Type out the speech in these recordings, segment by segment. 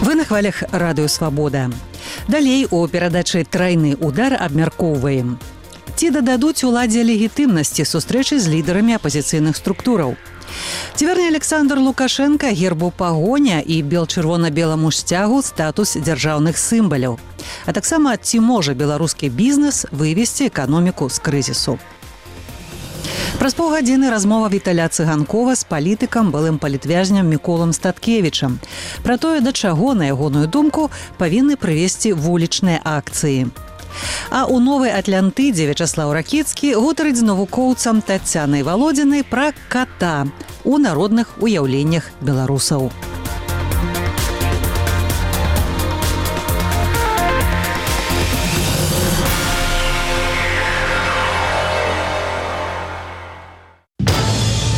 Вы на хвалях радыё «Свабода». Далей у перадачы «Трайны удар» абмяркоўваем. Ці дададуць уладзе легітымнасці сустрэчы з лідарамі апазіцыйных структураў? Ці верне Александр Лукашенко гербу пагоня і бел-чырвона-беламу сцягу статус дзяржаўных сімваляў? А таксама, ці можа беларускі бізнес вывесці эканоміку з крызісу? Праз паўгадзіны размова Віталя Цыганкова з палітыкам, былым палітвязням Міколам Статкевічам. Пра тое, да чаго, на ягоную думку, павінны прывесці вулічныя акцыі. А ў Новай Атлантыдзе Вячаслаў Ракіцкі гутарыць з навукоўцам Таццянай Валодзінай пра ката ў народных уяўленнях беларусаў.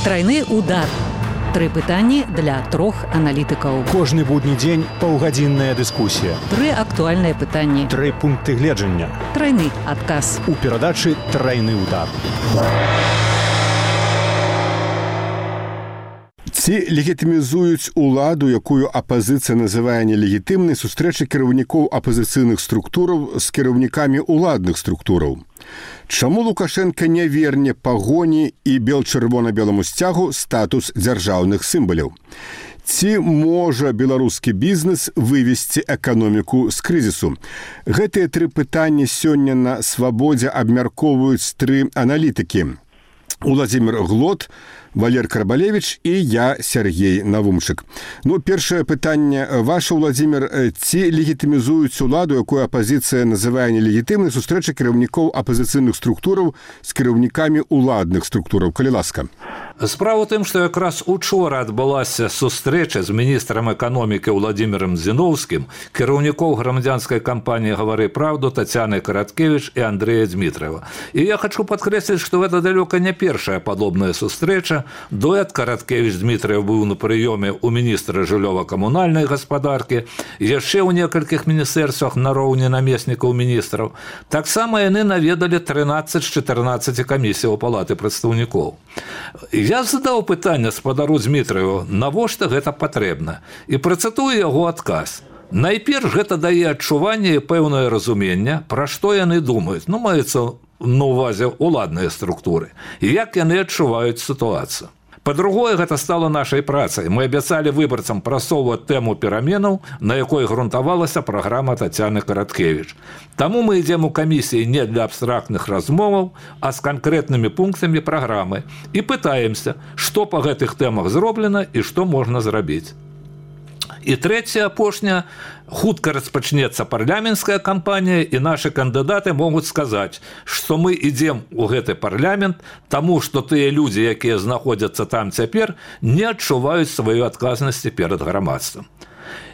Трайны удар. 3 пытанні для 3 аналітыкаў. Кожны будні дзень паўгадзінная дыскусія. 3 актуальныя пытанні. 3 пункты гледжання. Трайны адказ. У перадачы «Трайны удар». Ці легітымізуюць уладу, якую апазіцыя называе нелегітымнай, сустрэчы кіраўнікоў апазіцыйных структураў з кіраўнікамі ўладных структураў? Чаму Лукашенко не верне пагоні і бел-чырвона-беламу сцягу статус дзяржаўных сімваляў? Ці можа беларускі бізнес вывесці эканоміку з крызісу? Гэтыя 3 пытанні сёння на «Свабодзе» абмяркоўваюць 3 аналітыкі. Уладзімір Глот, Валер Карбалевіч і я, Сергей Навумчык. Першае пытанне ваше, Уладзімір. Ці легітымізуюць уладу, якую апазіцыя называе нелегітымнай, сустрэчы кіраўнікоў апазіцыйных структураў з кіраўнікамі ўладных структураў? Калі ласка. Справа ў тым, што якраз учора адбылася сустрэча з міністрам эканомікі Владимиром Зіновскім, кіраўнікоў грамадзянскай кампаніі «Гавары правду» Таццянай Караткевіч і Андрэя Дмітраева. І я хочу падкрэсліць, што гэта далёка не першая падобная сустрэча. Дуэт Караткевіч Дмітраев быў на прыёме ў міністра жыллёва-камунальнай гаспадаркі, яшчэ ў некалькіх міністэрствах нароўні намеснікаў міністраў. Таксама яны наведалі 13 з 14 камісіяў палаты прадстаўнікоў. Я задаў пытанне спадару Дмітраеву, навошта гэта патрэбна, і працытую яго адказ. Найперш гэта дае адчуванне і пэўнае разуменне, пра што яны думаюць, маецца на ўвазе ўладныя структуры, і як яны адчуваюць сітуацыю. Па-другое, гэта стала нашай працай. Мы абяцалі выбарцам прасоўваць тэму пераменаў, на якой грунтавалася праграма Таццяны Караткевіч. Таму мы ідзем у камісіі не для абстрактных размоваў, а з канкрэтнымі пунктамі праграмы і пытаемся, што па гэтых тэмах зроблена і што можна зрабіць. І трэцяе, апошняе, хутка распачнецца парламенцкая кампанія, і нашы кандыдаты могуць сказаць, што мы ідзем у гэты парламент, таму што тыя людзі, якія знаходзяцца там цяпер, не адчуваюць сваёй адказнасці перад грамадствам.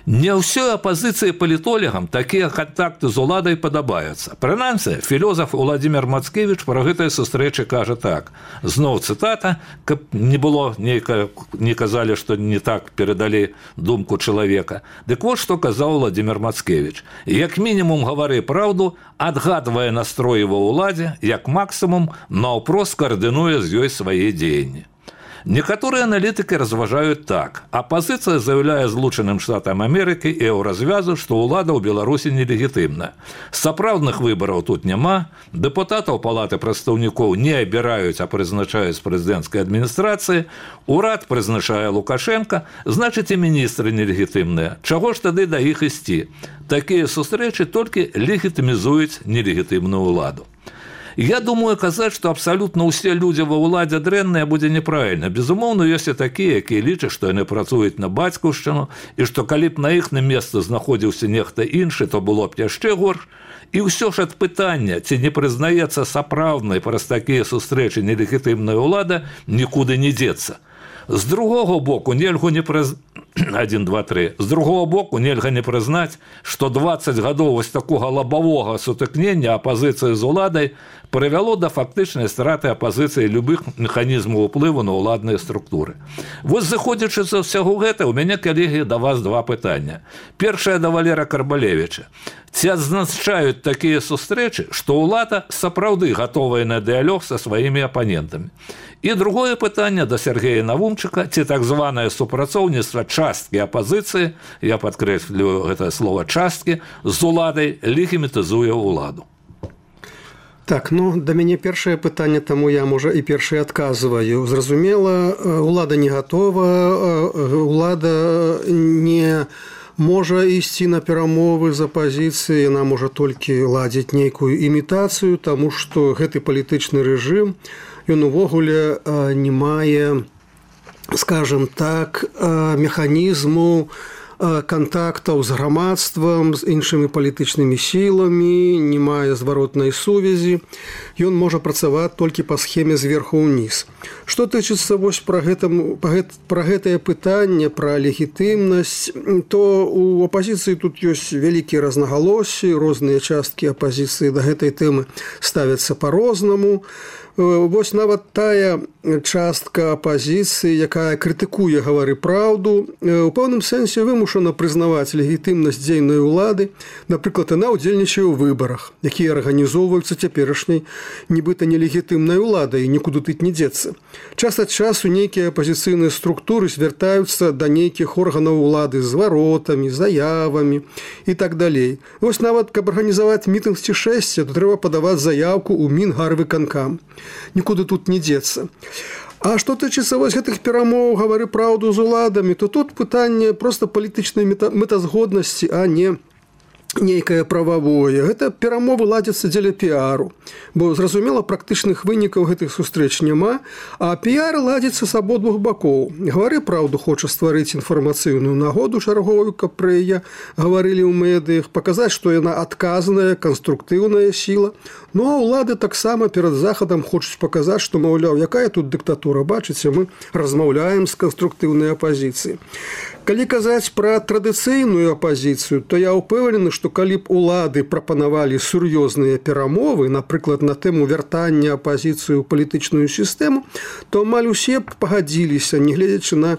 Не ўсёй апазіцыі палітолагам такія кантакты з уладай падабаюцца. Прынамсі, філёзаф Уладзімір Мацкевіч пра гэтыя сустрэчы кажа так. Зноў цытата, каб не было не казалі, што не так перадалі думку чалавека. Дык вот што казаў Уладзімір Мацкевіч. Як мінімум гавары праўду, адгадвае настроі ва ўладзе, як максімум наўпрост каардынуе з ёй свае дзеянні. Некаторыя аналітыкі разважаюць так. Апазіцыя заяўляе Злучаным Штатам Амерыкі і еўразвязу, што ўлада ў Беларусі нелегітымна. Сапраўдных выбараў тут няма, дэпутатаў палаты прадстаўнікоў не абіраюць, а прызначаюць прэзідэнцкай адміністрацыі, урад прызначае Лукашенка, значыць і міністры нелегітымныя. Чаго ж тады да іх ісці? Такія сустрэчы толькі легітымізуюць нелегітымную ўладу. Я думаю, казаць, што абсалютна ўсе людзі ва ўладзе дрэнныя будзе неправільна. Безумоўна, ёсць і такія, якія лічаць, што яны працуюць на бацькаўшчыну, і што калі б на іхным месцы знаходзіўся нехта іншы, то было б яшчэ горш. І ўсё ж ад пытання, ці не прызнаецца сапраўднай праз такія сустрэчы нелегітымная ўлада, нікуды не дзецца. З другого боку, нельга не прызнаць, 1, 2, 3. З другого боку, нельга не прызнаць, што 20 гадоў вось такога лабавога сутыкнення апазіцыі з уладай прывяло да фактычнай страты апазіцыі любых механізмаў уплыву на ўладныя структуры. Вось заходзячы з усяго гэта, у мяне, калегі, да вас 2 пытання. Першае да Валера Карбалевіча. Ці адзначаюць такія сустрэчы, што ўлада сапраўды гатовая на дыялог са сваімі апанентамі? І другое пытанне да Сергея Навумчыка, ці так званае супрацоўніцтва часткі апазіцыі, я падкрэслю гэта слова часткі, з уладай легімітызуе ўладу. Так, да мяне першае пытанне, таму я, можа, і першае адказваю. Зразумела, улада не гатова, улада не можа ісці на перамовы з апазіцыяй, яна можа толькі ладзіць нейкую імітацыю, таму што гэты палітычны рэжым, ён увогуле не мае, скажем так, механізму кантактаў з грамадствам, з іншымі палітычнымі сіламі, не мае зваротнай сувязі. Ён можа працаваць толькі па схеме зверху ўніз. Што тычыцца вось пра гэтае пытанне, пра легітымнасць, то у апазіцыі тут ёсць вялікія рознагалоссі, розныя часткі апазіцыі да гэтай тэмы ставяцца па-рознаму. Вось нават тая частка апазіцыі, якая крытыкуе «Гавары праўду», у пэўным сэнсе вымушана прызнаваць легітымнасць дзейнай улады. Напрыклад, яна ўдзельнічае ў выбарах, якія арганізоўваюцца цяперашняй нібыта нелегітымнай уладай, і нікуды тут не дзецца. Час ад часу нейкія апазіцыйныя структуры звяртаюцца да нейкіх органаў улады з зваротамі, заявамі і так далей. Вось нават, каб арганізаваць мітынг ці шэсце, то трэба падаваць заявку ў Мінгарвыканкам. Нікуды тут не дзецца. А што тычыцца вось гэтых перамоў «Гавары праўду» з уладамі, то тут пытанне проста палітычнай мэтазгоднасці, а не нейкае прававое. Гэта перамовы ладзяцца дзеля піару, бо, зразумела, практычных вынікаў гэтых сустрэч няма, а піар ладзіцца з абодвух бакоў. «Гавары праўду» хоча стварыць інфармацыйную нагоду чарговую, каб пра яе гаварылі ў медыях, паказаць, што яна адказная, канструктыўная сіла. Ну, а ўлады таксама перад захадам хочуць паказаць, што, маўляў, якая тут дыктатура, бачыце, мы размаўляем з канструктыўнай апазіцыяй. Калі казаць пра традыцыйную апазіцыю, то я ўпэўнены, што калі б улады прапанавалі сур'ёзныя перамовы, напрыклад, на тэму вяртання апазіцыі ў палітычную сістэму, то амаль усе б пагадзіліся, нягледзячы на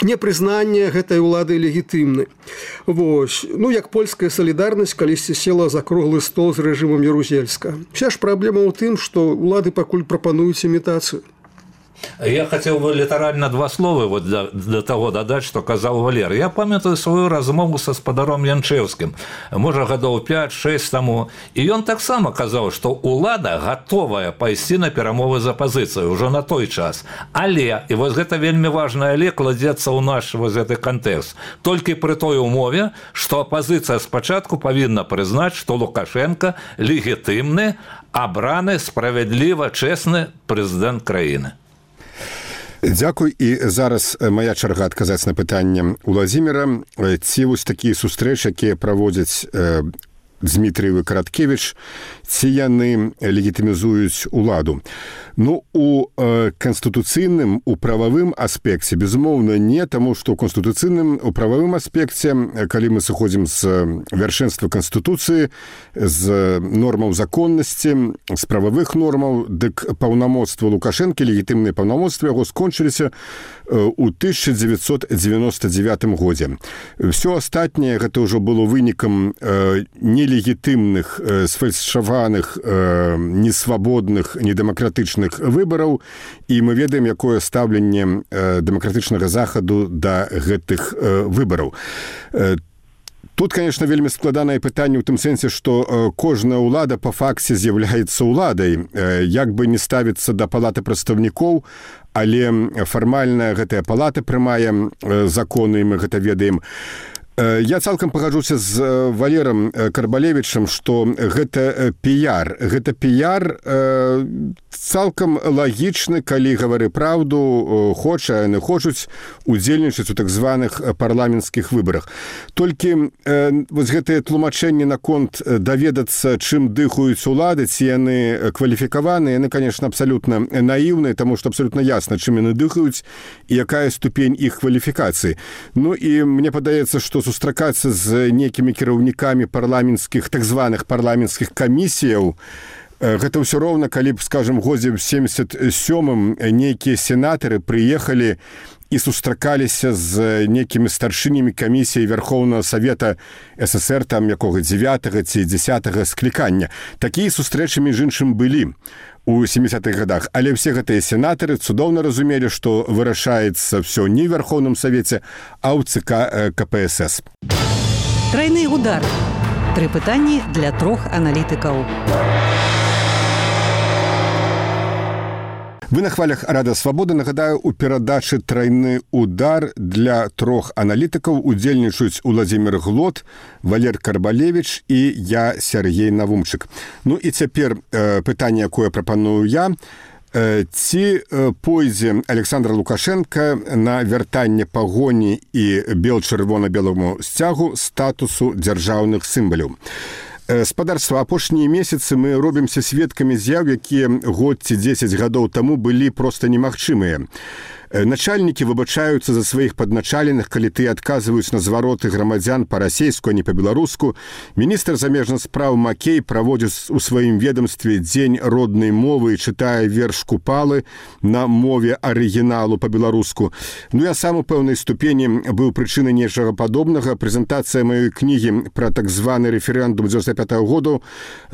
непрызнанне гэтай улады легітымнай. Вось. Як польская салідарнасць калісьці села за круглы стол з рэжымам Ярузельска. Вся ж праблема ў тым, што улады пакуль прапануюць імітацыю. Я хотел бы літаральна два словы вот для того дадаць, што казаў Валер. Я памятаю сваю размову са спадаром Янчэўскім, можа, гадоў 5-6 таму, і ён таксама казаў, што ўлада гатовая пайсці на перамовы з апазіцыяй ужо на той час. Але, і вось гэта вельмі важна, але кладзецца ў наш вось гэты кантэкст, толькі пры той умове, што апазіцыя спачатку павінна прызнаць, што Лукашенко легітымны, абраны, справядліва, чэсны прэзідэнт краіны. Дзякуй. І зараз моя чарга адказаць на пытанне Уладзіміра. Ці вось такія сустрэчы, якія праводзяць Дмітрыеў і Караткевіч, ці яны легітымізуюць уладу? У канстытуцыйным, у прававым аспекце, безумоўна, не, таму што ў канстытуцыйным, у прававым аспекце, калі мы сыходзім з вяршэнства Канстытуцыі, з нормаў законнасці, з прававых нормаў, дык паўнамоцтва Лукашэнкі, легітымныя паўнамоцтвы яго скончыліся ў 1999 годзе. Всё астатняе гэта ўжо было вынікам нелегітымных, сфальсіфікаваных, несвабодных, недэмакратычных выбараў, і мы ведаем, якое стаўленне дэмакратычнага захаду да гэтых выбараў. Тут, конечно, вельмі складанае пытанне ў тым сэнсе, што кожная ўлада па факце з'яўляецца ўладай, як бы не ставіцца да палаты прадстаўнікоў, але фармальна гэтая палата прымае законы, і мы гэта ведаем. Я цалкам пагаджуся з Валерам Карбалевічам, што гэта піяр. Гэта піяр цалкам лагічны, калі «Гавары праўду» хоча, яны хочуць удзельнічаць у так званых парламенцкіх выбарах. Толькі вось гэтае тлумачэнне наконт даведацца, чым дыхаюць улады, ці яны кваліфікаваны, яны, конечно, абсалютна наіўныя, таму што абсалютна ясна, чым яны дыхаюць і якая ступень іх кваліфікацыі. І мне падаецца, што сустракацца з некімі кіраўнікамі парламенцкіх, так званых парламенцкіх камісіяў, гэта ўсё роўна, калі б, скажем, годзе в 77-м нейкія сенатары прыехалі і сустракаліся з некімі старшынямі камісіі Верховнага Савета ССР, там якога 9-го ці 10-го склікання. Такія сустрэчы, між іншым, былі у 70-х годах. Але все гэтыя сенатары цудоўна разумелі, што вырашаецца все не ў Верховным Савеце, а ў ЦК КПСС. Тройны удар. 3 пытанні для 3 аналітыкаў. Вы на хвалях Рада Свабоды. Нагадаю, у перадачы «Тройны удар» для 3 аналітыкаў удзельнічаюць Уладзімір Глот, Валер Карбалевіч і я, Сергей Навумчык. Ну і цяпер пытанне, якое прапаную я. Ці пойдзе Александр Лукашенко на вяртанне пагоні і бел-чырвона-беламу сцягу статусу дзяржаўных сімваляў? Спадарства, апошнія месяцы мы робімся сведкамі з'яў, якія год ці 10 гадоў таму былі проста немагчымыя. Начальнікі выбачаюцца за сваіх падначаленых, калі тыя адказваюць на звароты грамадзян па-расейску, а не па-беларуску. Міністр замежных спраў Макей праводзіць у сваім ведомстве дзень роднай мовы і чытае верш Купалы на мове арыгіналу па-беларуску. Ну, я сам у пэўнай ступені быў прычынай нечага падобнага. Прэзентацыя маёй кнігі пра так званы рэферэндум 95-го году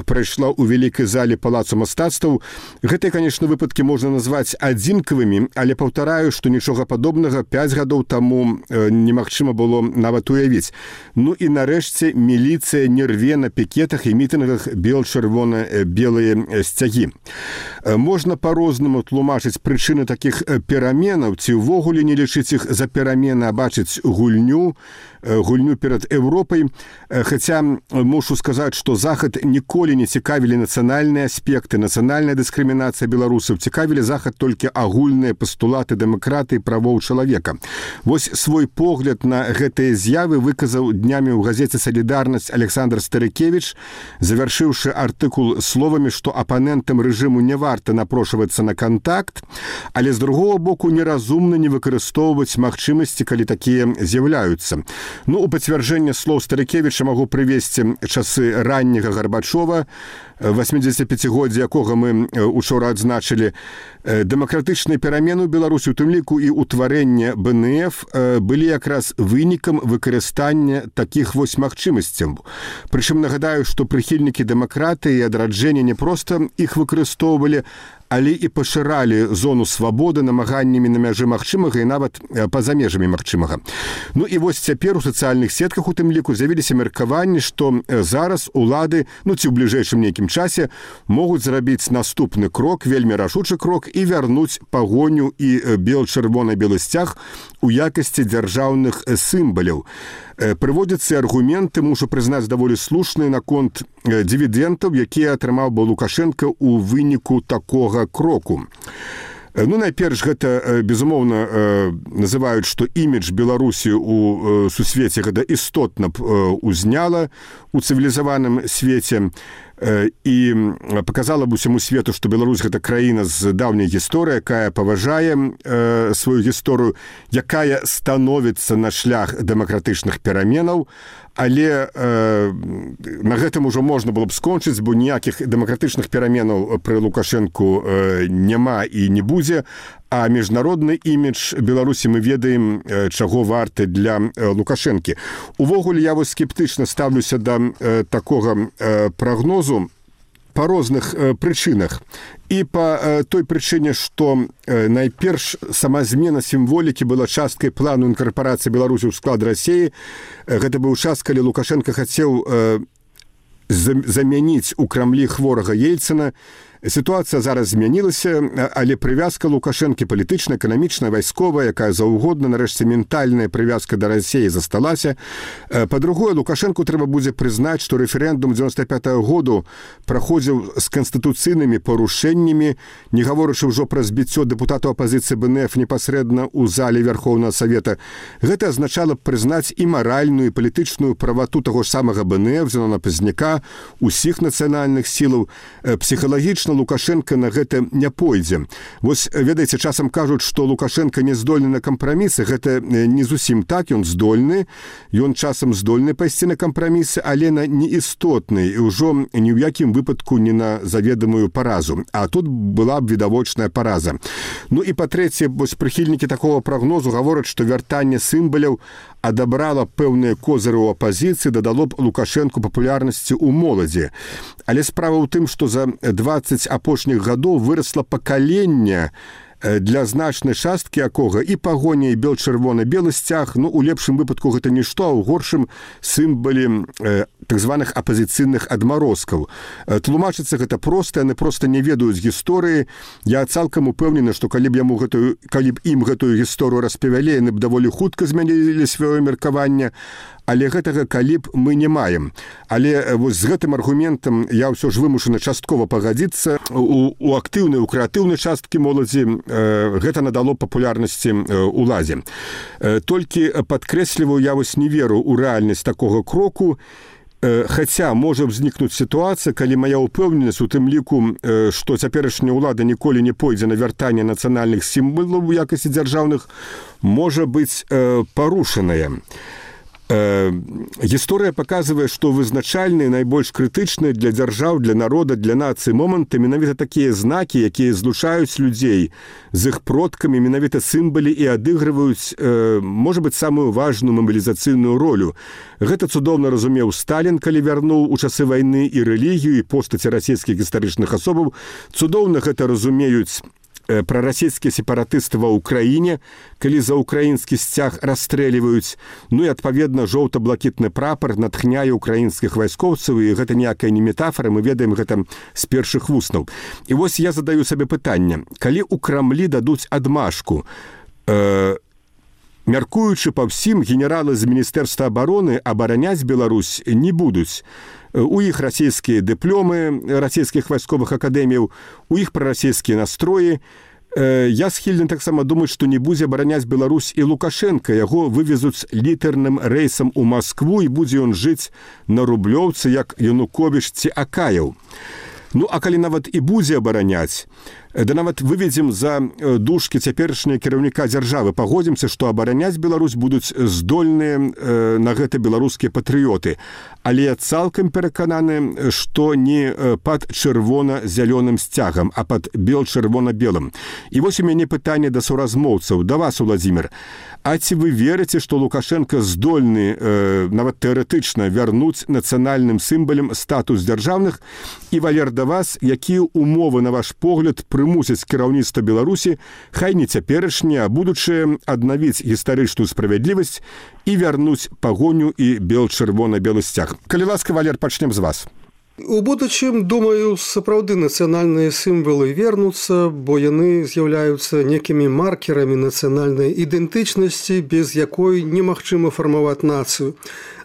прайшла ў вялікай зале Палацу мастацтваў. Гэтыя, канешне, выпадкі можна назваць адзінкавымі, але паўтараю, што нічога падобнага 5 гадоў таму немагчыма было нават уявіць. Ну і нарэшце міліцыя не рве на пікетах і мітынгах бел-чырвона-белыя сцягі. Можна па-рознаму тлумачыць прычыны такіх пераменаў, ці ўвогуле не лічыць іх за перамены, а бачыць гульню перад Европай. Хаця мушу сказаць, што Захад ніколі не цікавілі нацыянальныя аспекты, нацыянальная дыскрымінацыя беларусаў. Цікавілі Захад толькі агульныя пастулаты дэмакратыі і правоў чалавека. Вось свой погляд на гэтыя з'явы выказаў днямі ў газеце «Салідарнасць» Александр Старыкевіч, завяршыўшы артыкул словамі, што апанентам рэжыму не варта напрошвацца на кантакт, але з другого боку неразумна не выкарыстоўваць магчымасці, калі такія з'яўляюцца. Ну, у пацвярджэнне слоў Старыкевіча магу прывесці часы ранняга Гарбачова, 85-годдзя якога мы учора адзначылі. Дэмакратычныя перамены ў Беларусі, у тым ліку і ўтварэнне БНФ, былі якраз вынікам выкарыстання такіх вось магчымасцяў. Прычым нагадаю, што прыхільнікі дэмакратыі і адраджэння не проста іх выкарыстоўвалі, але і пашыралі зону свабоды намаганнямі на мяжы магчымага і нават па-за межамі магчымага. Ну і вось цяпер у сацыяльных сетках у тым ліку з'явіліся меркаванні, што зараз улады, ну ці ў бліжэйшым нейкім часе, могуць зрабіць наступны крок, вельмі рашучы крок, і вярнуць пагоню і бел-чырвона-белы сцяг у якасці дзяржаўных сімваляў. Прыводзяцца аргументы, мушу прызнаць, даволі слушныя наконт дывідэнтаў, якія атрымаў бы Лукашенко ў выніку такога кроку. Ну, найперш, гэта, безумоўна, называюць, што імідж Беларусі ў сусвеце гэта істотна узняла у цывілізаваным свеце і паказала б усяму свету, што Беларусь гэта краіна з даўняй гісторыяй, якая паважае сваю гісторыю, якая становіцца на шлях дэмакратычных пераменаў, але на гэтым ужо можна было б скончыць, бо ніякіх дэмакратычных пераменаў пры Лукашэнку няма і не будзе, а міжнародны імідж Беларусі мы ведаем, чаго варты для Лукашэнкі. Увогуле, я вось скептычна ставлюся да такога прагнозу па розных прычынах. І па той прычыне, што найперш сама змена сімволікі была часткай плану інкарпорацыі Беларусі ў склад Расіі. Гэта быў час, калі Лукашенко хацеў замяніць у Крамлі хворага Ельцына. Сітуацыя зараз змянілася, але прывязка Лукашэнкі палітычная, эканамічная, вайсковая, якая заўгодна, нарэшце ментальная прывязка да Расіі засталася. Па-другое, Лукашэнку трэба будзе прызнаць, што рэферэндум 95-го году праходзіў з канстытуцыйнымі парушэннямі, не гаворачы ўжо пра збіццё дэпутатаў апазіцыі БНФ непасрэдна ў зале Верховнага Савета. Гэта азначала б прызнаць і маральную, і палітычную правату таго ж самага БНФ, Зенона Пазняка, усіх нацыянальных сілаў. Псіхалагічна Лукашенко на гэта не пойдзе. Вось, ведаеце, часам кажуць, што Лукашенко не здольны на кампрамісы. Гэта не зусім так, ён здольны. Ён часам здольны пайсці на кампрамісы, але на неістотны, і ўжо ні ў якім выпадку не на заведамую паразу. А тут была б відавочная параза. Ну і па-трэцяе, вось прыхільнікі такого прагнозу гавораць, што вяртанне сімваляў адабрала пэўныя козыры ў апазіцыі, дадало б Лукашэнку папулярнасці ў моладзі. Але справа ў тым, што за 20 апошніх гадоў вырасла пакаленне, для значнай часткі якога і пагоня, і бел-чырвона-белы сцяг, ну, у лепшым выпадку гэта нішто, а ў горшым сімвалі так званых апазіцыйных адмарозкаў. Тлумачыцца гэта проста, яны проста не ведаюць гісторыі. Я цалкам упэўнены, што калі б ім гэтую гісторыю распавялі, яны б даволі хутка змянілі сваё меркаванне, але гэтага калі б мы не маем. Але вось з гэтым аргументам я ўсё ж вымушаны часткова пагадзіцца. У актыўнай, у крэатыўнай часткі моладзі гэта надало папулярнасці уладзе. Толькі падкрэсліваю, я вось не веру ў рэальнасць такога кроку, хаця можа ўзнікнуць сітуацыя, калі мая ўпэўненасць у тым ліку, што цяперашняя ўлада ніколі не пойдзе на вяртанне нацыянальных сімвалаў у якасці дзяржаўных, можа быць парушаная. Гісторыя паказвае, што вызначальныя, найбольш крытычныя для дзяржаў, для народа, для нацыі моманты менавіта такія знакі, якія злучаюць людзей з іх продкамі, менавіта сімвалі і адыгрываюць, можа быць, самую важную мабілізацыйную ролю. Гэта цудоўна разумеў Сталін, калі вярнуў у часы вайны і рэлігію, і постаці расійскіх гістарычных асобаў. Цудоўна гэта разумеюць прарасійскія сепаратысты ва ўкраіне, калі за ўкраінскі сцяг расстрэліваюць. Ну і, адпаведна, жоўта-блакітны прапар натхняе ўкраінскіх вайскоўцаў, і гэта ніякая не метафора, мы ведаем гэта з першых вуснаў. І вось я задаю сабе пытанне. Калі ў Крамлі дадуць адмашку, мяркуючы па ўсім, генералы з Міністэрства абароны абараняць Беларусь не будуць. У іх расійскія дыпломы расійскіх вайсковых акадэміяў, у іх прарасійскія настроі. Я схільны таксама думаць, што не будзе абараняць Беларусь і Лукашенка. Яго вывезуць літарным рэйсам у Маскву, і будзе ён жыць на Рублёўцы, як Януковіч ці Акаяў. Ну, а калі нават і будзе абараняць, да нават выведзем за дужкі цяперашняга кіраўніка дзяржавы, пагодзімся, што абараняць Беларусь будуць здольныя на гэта беларускія патрыёты. Але я цалкам перакананы, што не пад чырвона-зялёным сцягам, а пад бел-чырвона-белым. І вось у мяне пытанне да суразмоўцаў, да вас, Уладзімір. А ці вы верыце, што Лукашенка здольны, нават тэарэтычна, вярнуць нацыянальным сімвалам статус дзяржаўных? І, Валер, да вас, якія умовы, на ваш погляд, прымусяць кіраўніцтва Беларусі, хай не цяперашняе, а будучае, аднавіць гістарычную справядлівасць і вярнуць пагоню і бел-чырвона-белы сцяг? Калі ласка, Валер, пачнем з вас. У будучым, думаю, сапраўды нацыянальныя сімвалы вернуцца, бо яны з'яўляюцца некімі маркерамі нацыянальнай ідэнтычнасці, без якой немагчыма фармаваць нацыю.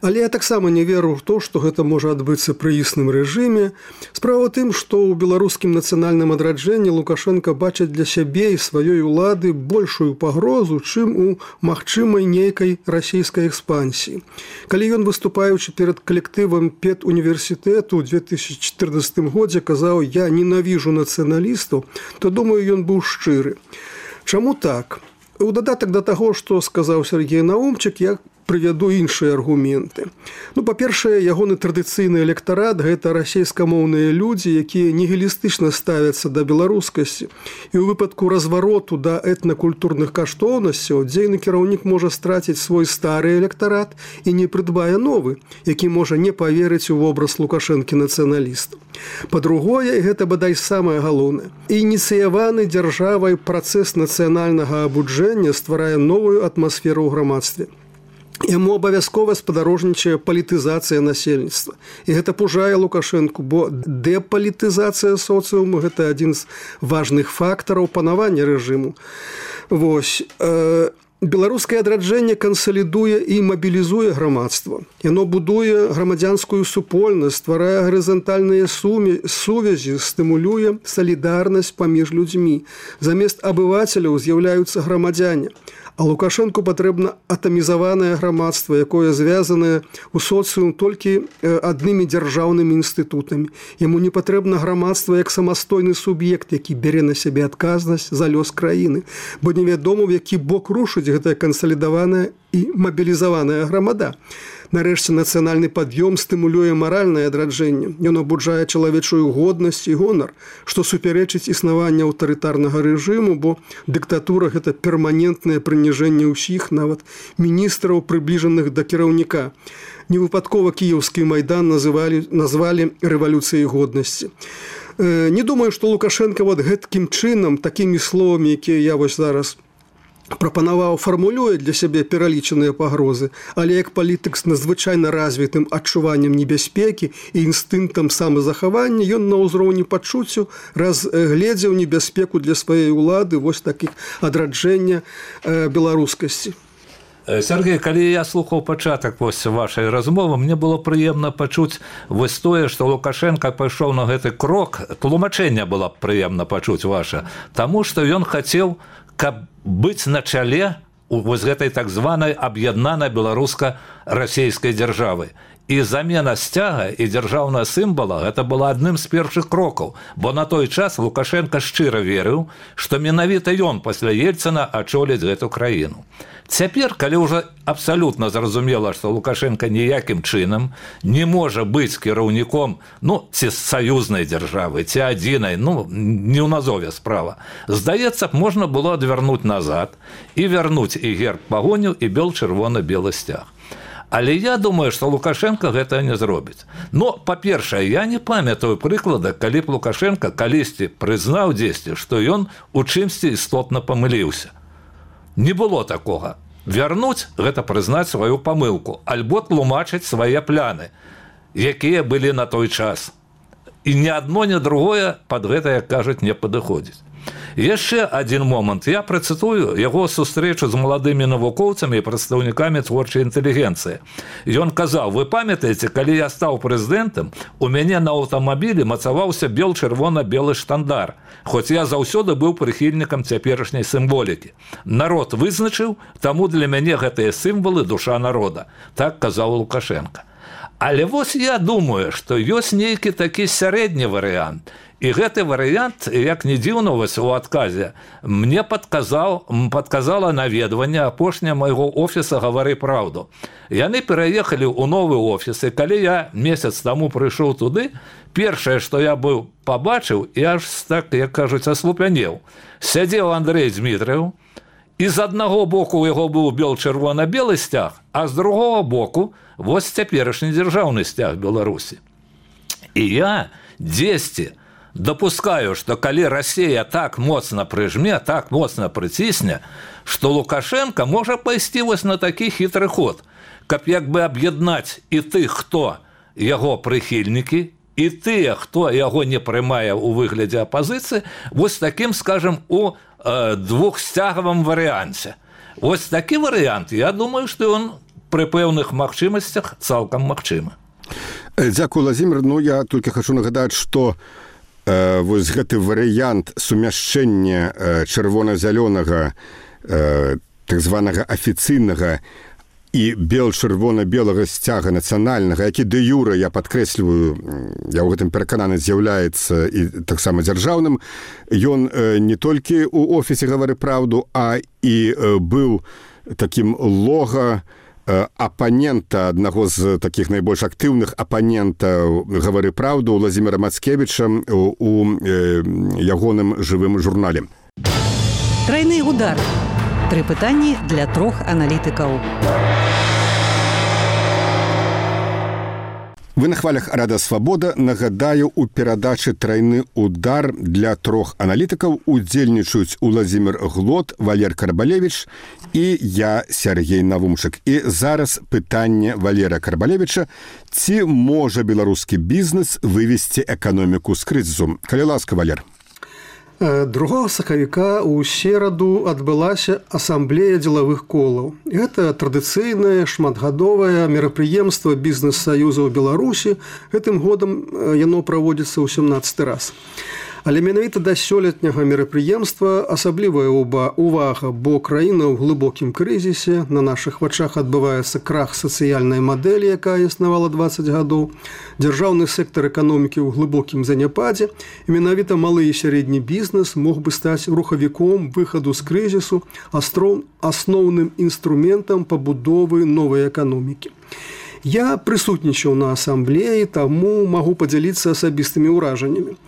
Але я таксама не веру ў то, што гэта можа адбыцца пры існым рэжыме. Справа ў тым, што ў беларускім нацыянальным адраджэнні Лукашенка бачыць для сябе і сваёй улады большую пагрозу, чым у магчымай нейкай расійскай экспансіі. Калі ён, выступаючы перад калектывам педуніверсітэту ў 2014 годзе казаў: «Я ненавіжу нацыяналістаў», то, думаю, ён быў шчыры. Чаму так? У дадатак да таго, што сказаў Сергей Наумчык, я прывяду іншыя аргументы. Ну, па-першае, ягоны традыцыйны электарат – гэта расейскамоўныя людзі, якія нігілістычна ставяцца да беларускасці. І ў выпадку развароту да этнакультурных каштоўнасцяў дзейны кіраўнік можа страціць свой стары электарат і не прыдбае новы, які можа не паверыць у вобраз Лукашэнкі-нацыяналістаў. Па-другое, і гэта бадай самае галоўнае, ініцыяваны дзяржавай працэс нацыянальнага абуджэння стварае новую атмасферу ў грамадстве. Яму абавязкова спадарожнічае палітызацыя насельніцтва. І гэта пужае Лукашэнку, бо дэпалітызацыя соцыуму – гэта адзін з важных фактараў панавання рэжыму. Вось. Беларускае адраджэнне кансалідуе і мабілізуе грамадства. Яно будуе грамадзянскую супольнасць, стварае гарызантальныя сувязі, стымулюе салідарнасць паміж людзьмі. Замест абывацеляў з'яўляюцца грамадзяне. А Лукашэнку патрэбна атамізаванае грамадства, якое звязанае ў соцыум толькі аднымі дзяржаўнымі інстытутамі. Яму не патрэбна грамадства як самастойны суб'ект, які бярэ на сябе адказнасць за лёс краіны, бо невядома, в які бок рушыць гэтая кансалідаваная і мабілізаваная грамада. Нарэшце, нацыянальны пад'ём стымулюе маральнае адраджэнне. Ён абуджае чалавечую годнасць і гонар, што супярэчыць існаванню аўтарытарнага рэжыму, бо дыктатура – гэта перманентнае прыніжэнне ўсіх, нават міністраў, прыбліжаных да кіраўніка. Невыпадкова кіеўскі майдан назвалі рэвалюцыяй годнасці. Не думаю, што Лукашенко вот гэткім чынам, такімі словамі, якія я вось зараз прапанаваў, фармулюе для сябе пералічаныя пагрозы, але як палітык з надзвычайна развітым адчуваннем небяспекі і інстынктам самазахавання, ён на ўзроўні пачуццю разгледзеў небяспеку для сваёй улады вось такіх адраджэння беларускасці. Сергей, калі я слухаў пачатак вашай размовы, мне было прыемна пачуць вось тое, што Лукашенко пайшоў на гэты крок, тлумачэнне было прыемна пачуць ваша, таму што ён хацеў, каб быць на чале вось гэтай так званай аб'яднанай беларуска-расейскай дзяржавы. І замена сцяга і дзяржаўнага сімвала – гэта была адным з першых крокаў, бо на той час Лукашенко шчыра верыў, што менавіта ён пасля Ельцына ачоліць гэту краіну. Цяпер, калі ўжо абсалютна зразумела, што Лукашенко ніякім чынам не можа быць кіраўніком, ці саюзнай дзяржавы, ці адзінай, не ў назове справа, здаецца б, можна было адвярнуць назад і вярнуць і герб пагоню, і бел-чырвона-белы сцяг. Але я думаю, што Лукашенко гэта не зробіць. Па-першае, я не памятаю прыклада, калі б Лукашенко калісьці прызнаў дзесьці, што ён у чымсьці істотна памыліўся. Не было такога. Вярнуць – гэта прызнаць сваю памылку, альбо тлумачыць свае пляны, якія былі на той час. І ні адно, ні другое пад гэта, як кажуць, не падыходзіць. Яшчэ адзін момант. Я працытую яго сустрэчу з маладымі навукоўцамі і прадстаўнікамі творчай інтэлігенцыі. Ён казаў: вы памятаеце, калі я стаў прэзідэнтам, у мяне на аўтамабілі мацаваўся бел-чырвона-белы штандар, хоць я заўсёды быў прыхільнікам цяперашняй сімволікі. Народ вызначыў, таму для мяне гэтыя сімвалы душа народа. Так казаў Лукашенко. Але вось я думаю, што ёсць нейкі такі сярэдні варыянт. І гэты варыянт, як не дзіўна вось у адказе, мне падказала наведванне апошняе майго офіса «Гавары праўду». Яны пераехалі ў новы офіс, і калі я месяц таму прыйшоў туды, першае, што я быў пабачыў, я аж так, як кажуць, аслупянеў. Сядзеў Андрэй Дзмітрыў, і з аднаго боку у яго быў бел-чырвона-белы сцяг, а з другого боку вось цяперашні дзяржаўны сцяг Беларусі. І я дзесьці дапускаю, што калі Расія так моцна прыжме, так моцна прыцісне, што Лукашенко можа пайсці вось на такі хітры ход, каб як бы аб'яднаць і тых, хто яго прыхільнікі, і тыя, хто яго не прымае ў выглядзе апазіцыі, вось такім, скажам, у двухсцягавым варыянце. Вось такі варыянт, я думаю, што ён пры пэўных магчымасцях цалкам магчымы. Дзякую, Владзімир. Я толькі хачу нагадаць, што вось гэты варыянт сумяшчэння чырвона-зялёнага, так званага афіцыйнага і бел-чырвона-белага сцяга нацыянальнага, які дэ юрэ, я падкрэсліваю, я ў гэтым перакананы, з'яўляецца і таксама дзяржаўным, ён не толькі ў офісе «Гавары праўду», а і быў такім лога апанента, аднаго з такіх найбольш актыўных апанентаў «Гавары праўду» Владзіміра Мацкевіча у ягоным жывым журнале. Трайны удар. 3 пытанні для 3 аналітыкаў. Вы на хвалях Рада Свабода. Нагадаю, у перадачы «Трайны удар» для 3 аналітыкаў удзельнічаюць Уладзімир Глот, Валер Карбалевіч і я, Сергей Навумчык. І зараз пытанне Валера Карбалевіча: ці можа беларускі бізнес вывесці эканоміку з крызісу? Калі ласка, Валер. 2 сакавіка ў сераду адбылася асамблея дзелавых колаў. Гэта традыцыйнае шматгадовае мерапрыемства бізнес-саюзаў Беларусі. Гэтым годам яно праводзіцца ў 17 раз. Але менавіта да сёлетняга мерапрыемства асаблівая увага, бо краіна ў глыбокім крызісе, на нашых вачах адбываецца крах сацыяльнай мадэлі, якая існавала 20 гадоў, дзяржаўны сектар эканомікі ў глыбокім заняпадзе, і менавіта малы і сярэдні бізнес мог бы стаць рухавіком выхаду з крызісу, асноўным інструментам пабудовы новай эканомікі. Я прысутнічаў на асамблеі, таму магу падзяліцца асабістымі ўражаннямі.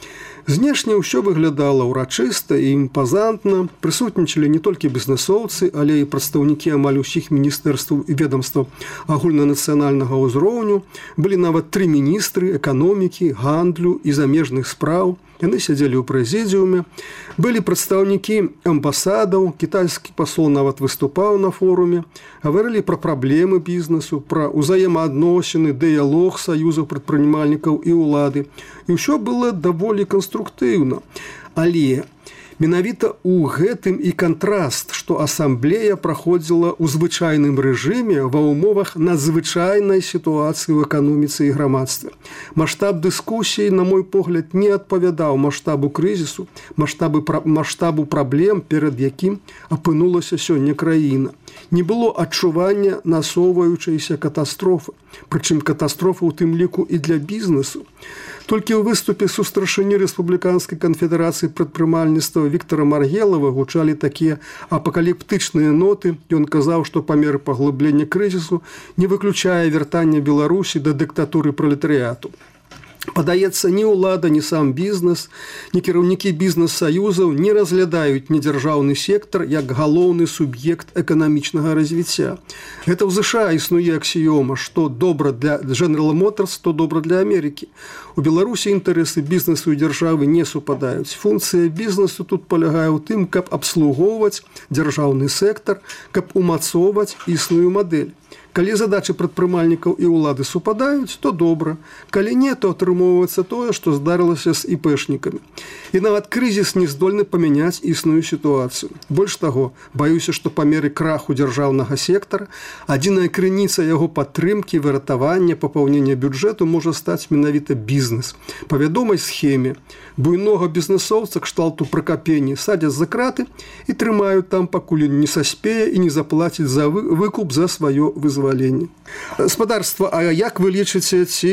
Знешне ўсё выглядала ўрачыста і імпазантна. Прысутнічалі не толькі бізнэсоўцы, але і прадстаўнікі амаль усіх міністэрстваў і ведомстваў агульнанацыянальнага ўзроўню. Былі нават 3 міністры эканомікі, гандлю і замежных спраў. Яны сядзелі ў прэзідыуме. Былі прадстаўнікі амбасадаў, кітайскі пасол нават выступаў на форуме. Гаварылі пра праблемы бізнесу, пра ўзаемаадносіны, дыялог саюзаў прадпрымальнікаў і ўлады. І ўсё было даволі канструктыўна. Але менавіта ў гэтым і кантраст, што асамблея праходзіла ў звычайным рэжыме ва ўмовах надзвычайнай сітуацыі ў эканоміцы і грамадстве. Маштаб дыскусіі, на мой погляд, не адпавядаў маштабу крызісу, маштабу праблем, перад якім апынулася сёння краіна. Не было адчування насоўваючайся катастрофы, прычым катастрофы ў тым ліку і для бізнесу. Толькі ў выступе сустаршыні Рэспубліканскай канфедэрацыі прадпрымальніцтва Віктара Маргелава гучалі такія апакаліптычныя ноты. Ён казаў, што па меры паглыблення крызісу не выключае вяртання Беларусі да дыктатуры пралетарыяту. Падаецца, ні ўлада, ні сам бізнес, ні кіраўнікі бізнес-саюзаў не разглядаюць недзяржаўны сектар як галоўны суб'ект эканамічнага развіцця. Гэта ў ЗША існуе аксіёма, што добра для General Motors, то добра для Амерыкі. У Беларусі інтарэсы бізнесу і дзяржавы не супадаюць. Функцыя бізнесу тут палягае ў тым, каб абслугоўваць дзяржаўны сектар, каб умацоўваць існую мадэль. Калі задачы прадпрымальнікаў і ўлады супадаюць, то добра. Калі не, то атрымоўваецца тое, што здарылася з іпэшнікамі. І нават крызіс не здольны памяняць існую сітуацыю. Больш таго, баюся, што па меры краху дзяржаўнага сектара адзіная крыніца яго падтрымкі, выратавання, папаўнення бюджэту можа стаць менавіта бізнес. Па вядомай схеме буйнога бізнесоўца кшталту Пракапені садзяць за краты і трымаюць там, пакуль не саспее і не заплаціць за выкуп за сваё вызваленне. Спадарства, а як вы лічыце, ці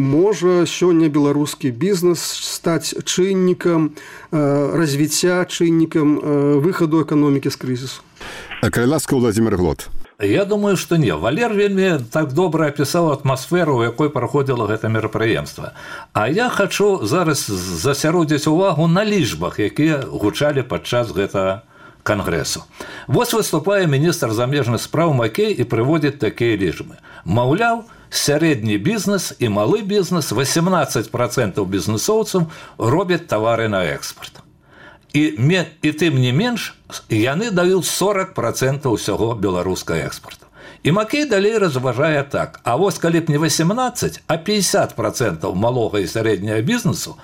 можа сёння беларускі бізнес стаць чыннікам развіцця, чыннікам выхаду эканомікі з крызісу? Калі ласка, Владимир Глот. Я думаю, што не. Валер вельмі так добра апісаў атмасферу, у якой праходзіла гэта мерапрыемства. А я хачу зараз засяродзіць увагу на лічбах, якія гучалі падчас гэтага кангрэсу. Вось выступае міністр замежных спраў Макей і прыводзіць такія лічбы. Маўляў, сярэдні бізнес і малы бізнес, 18% бізнесоўцаў робяць тавары на экспорт. І тым не менш, яны даюць 40% ўсяго беларускага экспорту. І Макей далей разважае так. А вось калі б не 18, а 50% малога і сярэдняга бізнесу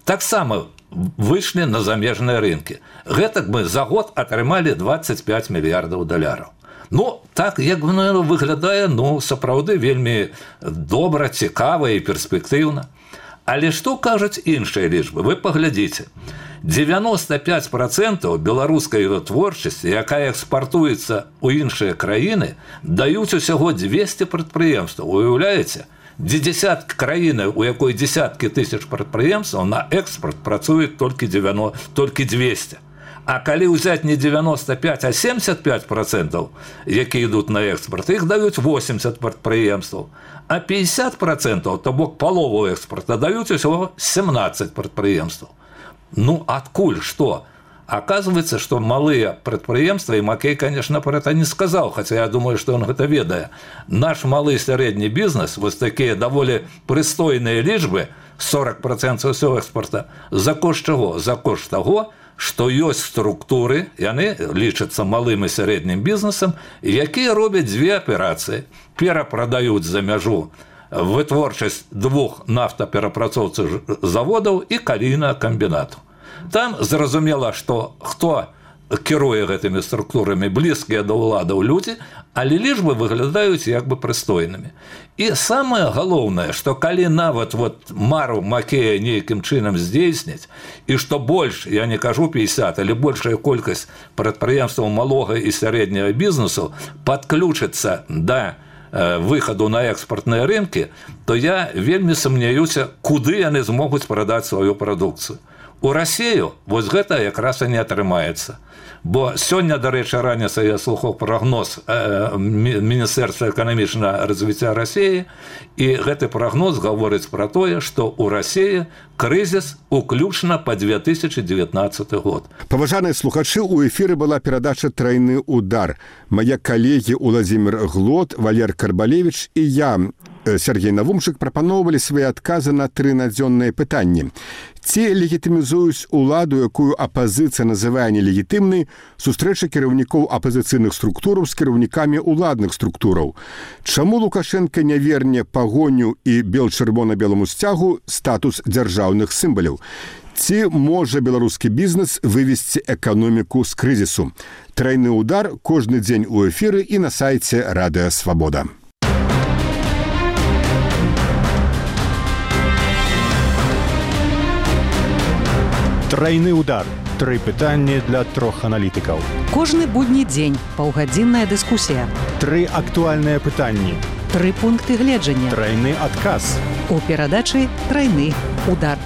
таксама выйшлі на замежныя рынкі. Гэтак мы за год атрымалі 25 мільярдаў даляраў. Ну, так, як выглядае, сапраўды вельмі добра, цікава і перспектыўна. Але што кажуць іншыя лічбы? Вы паглядзіце. 95% беларускай вытворчасці, якая экспартуецца ў іншыя краіны, даюць усяго 200 прадпрыемстваў. Уяўляеце? Десяткі краіны, у якой десяткі тысяч прадпрыемстваў, на экспорт працуюць толькі 200. А калі ўзяць не 95, а 75%, якія ідуць на экспорт, іх даюць 80 прадпрыемстваў. А 50%, то бок палову экспорта, даюць усяго 17 прадпрыемстваў. Адкуль што? Оказывается, что малые предприемства, и Макей, конечно, про это не сказал, хотя я думаю, что он это ведает. Наш малый и средний бизнес, вот такие довольно пристойные лічбы, 40% всего экспорта, за кошт чего? За кошт того, что есть структуры, и они лічацца малым и средним бизнесом, якія робят две операции. Перапродают за мяжу вытворчасць 2 нафтаперапрацоўчых заводаў і калійнага камбінату. Там зразумела, што хто кіруе гэтымі структурамі, блізкія да ўладаў людзі, але лічбы выглядаюць як бы прыстойнымі. І самае галоўнае, што калі нават мару Макея нейкім чынам здзейсніць, і што больш, я не кажу 50, але большая колькасць прадпрыемстваў малога і сярэдняга бізнесу падключыцца да выхаду на экспортныя рынкі, то я вельмі сумняюся, куды яны змогуць прадаць сваю прадукцыю. У Расію вось гэта якраз і не атрымаецца. Бо сёння, дарэчы, раніцай я слухаў прагноз Міністэрства эканамічнага развіцця Расіі, і гэты прагноз гаворыць пра тое, што ў Расіі крызіс уключна па 2019 год. Паважаныя слухачы, у эфіры была перадача «Трайны удар». Мае калегі Уладзімір Глот, Валер Карбалевіч і я, Сергей Навумчык, прапаноўвалі свае адказы на 3 надзённыя пытанні. Ці легітымізуюць уладу, якую апазіцыя называе нелегітымнай, сустрэчы кіраўнікоў апазіцыйных структураў з кіраўнікамі ўладных структураў? Чаму Лукашенка не верне пагоню і бел-чырвона-беламу сцягу статус дзяржаўных сімваляў? Ці можа беларускі бізнес вывесці эканоміку з крызісу? Трайны удар кожны дзень у эфіры і на сайце Радыё Свабода. Трайны удар. 3 пытанні для 3 аналітыкаў. Кожны будні дзень паўгадзінная дыскусія. 3 актуальныя пытанні. 3 пункты гледжання. Трайны адказ. У перадачы «Трайны удар».